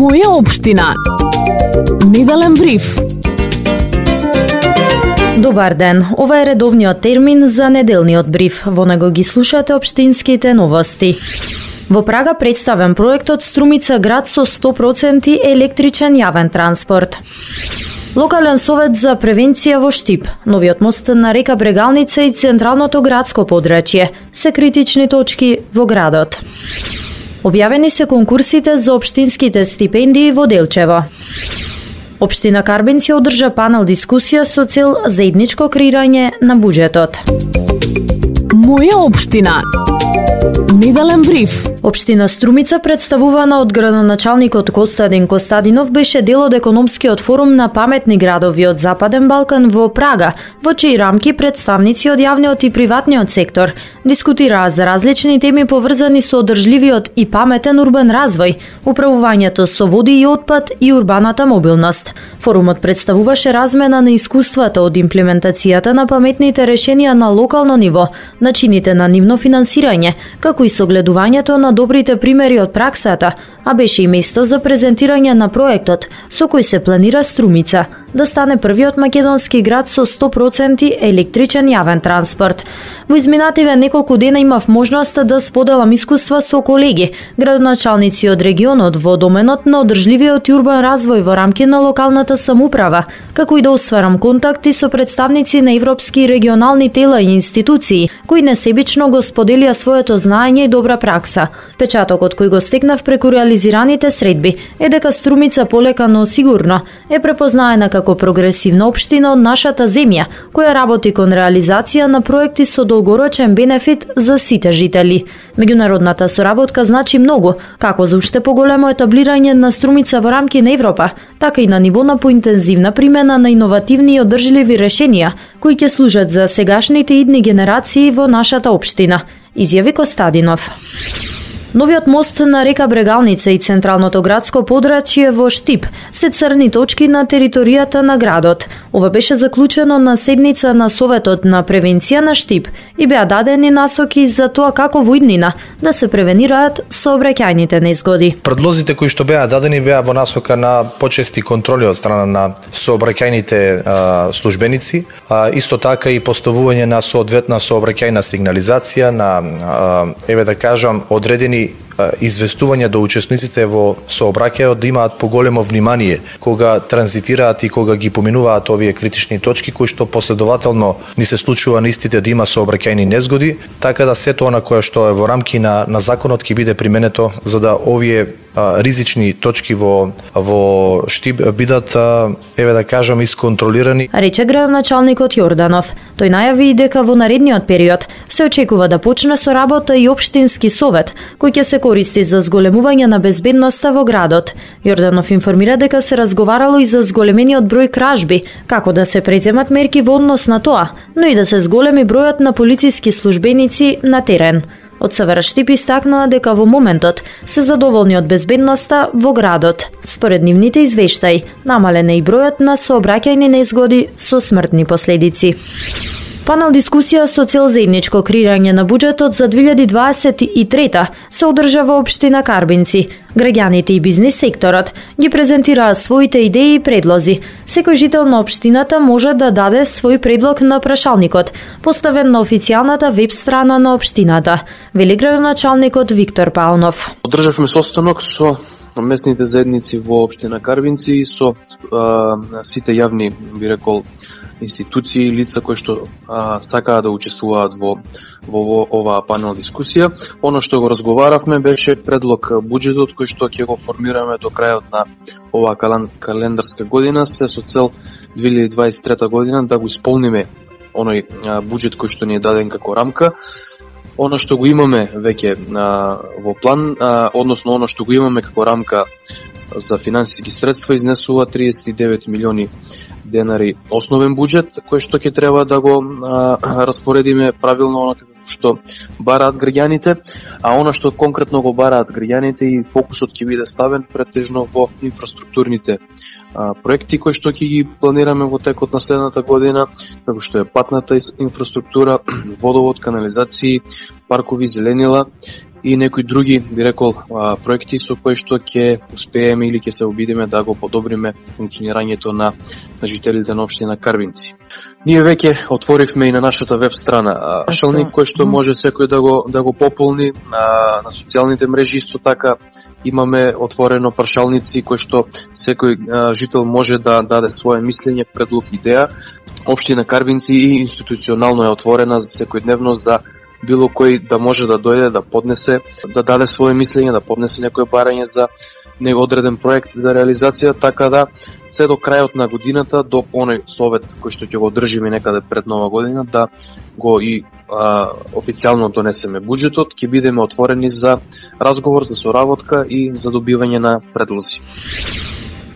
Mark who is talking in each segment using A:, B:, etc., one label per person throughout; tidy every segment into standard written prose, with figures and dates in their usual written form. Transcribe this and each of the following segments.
A: Моја општина. Неделен бриф.
B: Добар ден, ова е редовниот термин за неделниот бриф. Во него ги слушате општинските новости. Во Прага представен проектот Струмица град со 100% електричен јавен транспорт. Локален совет за превенција во Штип. Новиот мост на река Брегалница и централното градско подрачје се критични точки во градот. Објавени се конкурсите за општинските стипендии во Делчево. Општина Карбинци одржа панел дискусија со цел заедничко креирање на буџетот.
A: Моја општина. Неделен бриф.
B: Општина Струмица, представувана од градоначалникот Костадин Костадинов, беше дел од економскиот форум на паметни градови од Западен Балкан во Прага, во чии рамки представници од јавниот и приватниот сектор дискутираа за различни теми поврзани со одржливиот и паметен урбан развој, управувањето со води и отпад и урбаната мобилност. Форумот представуваше размена на искуствата од имплементацијата на паметните решенија на локално ниво, начините на нивно финансирање, како и согледувањето на добрите примери од праксата, а беше и место за презентирање на проектот со кој се планира Струмица да стане првиот македонски град со 100% електричен јавен транспорт. Во изминативе неколку дена имав можност да споделам искуства со колеги, градоначалници од регионот во доменот на одржливиот и урбан развој во рамки на локалната самоуправа, како и да остварам контакти со представници на европски и регионални тела и институции, кои несебично го споделија своето знаење и добра пракса. Печатокот кој го стекнав преку реализираните средби е дека Струмица полека но сигурно е препознаена како прогресивна општина од нашата земја, која работи кон реализација на проекти со долгорочен бенефит за сите жители. Меѓународната соработка значи многу, како за уште поголемо етаблирање на Струмица во рамки на Европа, така и на ниво на поинтензивна примена на иновативни и одржливи решенија, кои ќе служат за сегашните и идни генерации во нашата општина, изјави Костадинов. Новиот мост на река Брегалница и централното градско подрачје во Штип се црни точки на територијата на градот. Ова беше заклучено на седница на Советот на превенција на Штип и беа дадени насоки за тоа како во иднина да се превенираат сообраќајните незгоди.
C: Предлозите кои што беа дадени беа во насока на почести контроли од страна на сообраќајните службеници, исто така и поставување на соодветна сообраќајна сигнализација на еве да кажам одредени известување до учесниците во сообраќајот да имаат поголемо внимание кога транзитираат и кога ги поминуваат овие критични точки кои што последователно ни се случува на истите да има сообраќајни незгоди, така да сето она кое што е во рамки на законот ќе биде применето за да овие ризични точки во Штип бидат еве да кажам исконтролирани.
B: Рече градоначалникот Јорданов. Тој најави и дека во наредниот период се очекува да почне со работа и општински совет кој ќе се користи за зголемување на безбедноста во градот. Јорданов информира дека се разговарало и за зголемениот број кражби, како да се преземат мерки во однос на тоа, но и да се зголеми бројот на полициски службеници на терен. Од СВР Штип истакнаа дека во моментот се задоволни од безбедноста во градот. Според нивните извештаи, намален е и бројот на сообраќајни незгоди со смртни последици. Панел дискусија со цел заедничко креирање на буџетот за 2023 се одржа во општина Карбинци. Граѓаните и бизнис секторот ги презентираа своите идеи и предлози. Секој жител на општината може да даде свој предлог на прашалникот, поставен на официјалната веб страна на општината, вели градоначалникот Виктор Паунов.
D: Одржавме состанок со местните заедници во општина Карбинци и со сите јавни, би рекол, институции и лица кои што сакаат да учествуваат во оваа панел дискусија. Оно што го разговаравме беше предлог буџетот кој што ќе го формираме до крајот на оваа календарска година, се со цел 2023 година да го исполниме оној буџет кој што ни е даден како рамка. Оно што го имаме веќе во план, односно оно што го имаме како рамка за финансиски средства изнесува 39 милиони денари основен буџет, кој што ќе треба да го распоредиме правилно оно што бараат граѓаните, а оно што конкретно го бараат граѓаните и фокусот ќе биде ставен претежно во инфраструктурните проекти кои што ќе ги планираме во текот на следната година, како што е патната инфраструктура, водовод, канализации, паркови, зеленила и некои други, би рекол, проекти со кои што ќе успееме или ќе се обидиме да го подобриме функционирањето на жителите на општина Карвинци. Ние веќе отворивме и на нашата веб страна прашалник кој што може секој да го пополни на социјалните мрежи. Исто така имаме отворено прашалници кои што секој жител може да даде свое мислење, предлог, идеја. Општина Карвинци и институционално е отворена за секојдневно за било кој да може да дојде, да поднесе, да даде свое мислење, да поднесе некое барање за него одреден проект за реализација, така да се до крајот на годината, до оној совет кој што ќе го одржиме некаде пред Нова година, да го и официјално донесеме буџетот, ќе бидеме отворени за разговор, за соработка и за добивање на предлози.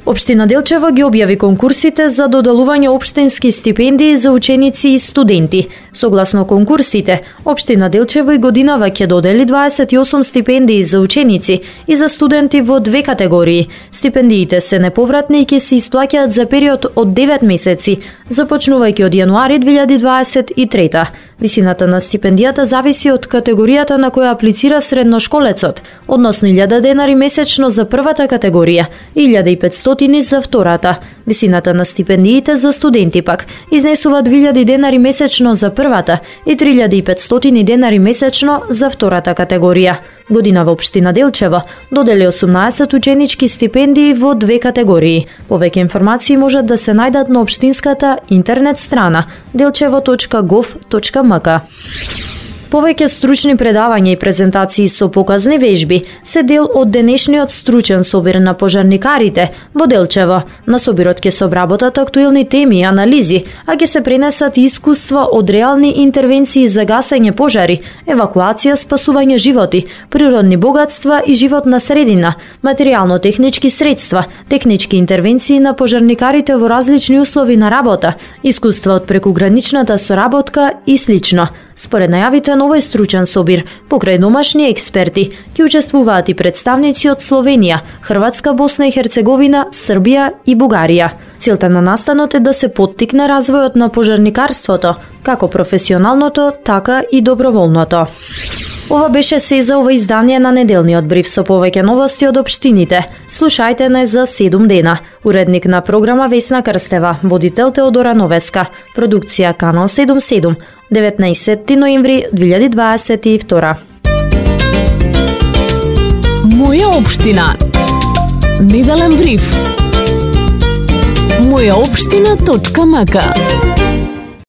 B: Општина Делчево ги објави конкурсите за доделување општински стипендии за ученици и студенти. Согласно конкурсите, Општина Делчево и годинава ќе додели 28 стипендии за ученици и за студенти во 2 категории. Стипендиите се неповратни и ќе се исплаќаат за период од 9 месеци, започнувајќи од јануари 2023. Висината на стипендијата зависи од категоријата на која аплицира средношколецот, односно 1000 денари месечно за првата категорија и 1500 за втората. Висината на стипендиите за студенти пак изнесува 2000 денари месечно за првата и 3500 денари месечно за втората категорија. Годинава Општина Делчево додели 18 ученички стипендии во 2 категории. Повеќе информации можат да се најдат на општинската интернет страна delchevo.gov.mk. Повеќе стручни предавања и презентации со показни вежби се дел од денешниот стручен собир на пожарникарите во Делчево. На собирот ќе се обработат актуелни теми и анализи, а ќе се пренесат искуства од реални интервенции за гасење пожари, евакуација, спасување животи, природни богатства и животна средина, материјално-технички средства, технички интервенции на пожарникарите во различни услови на работа, искуства од прекуграничната соработка и слично. Според најавите на овој стручен собир, покрај домашни експерти, ќе учествуваат и представници од Словенија, Хрватска, Босна и Херцеговина, Србија и Бугарија. Целта на настанот е да се поттикне развојот на пожарникарството, како професионалното, така и доброволното. Ова беше се за ова издание на неделниот бриф со повеќе новости од општините. Слушајте не за 7 дена. Уредник на програма Весна Крстева, водител Теодора Новеска, продукција Канал 77, 19 ноември 2022.
A: Моја општина. Неделен бриф. Мојаопштина.мк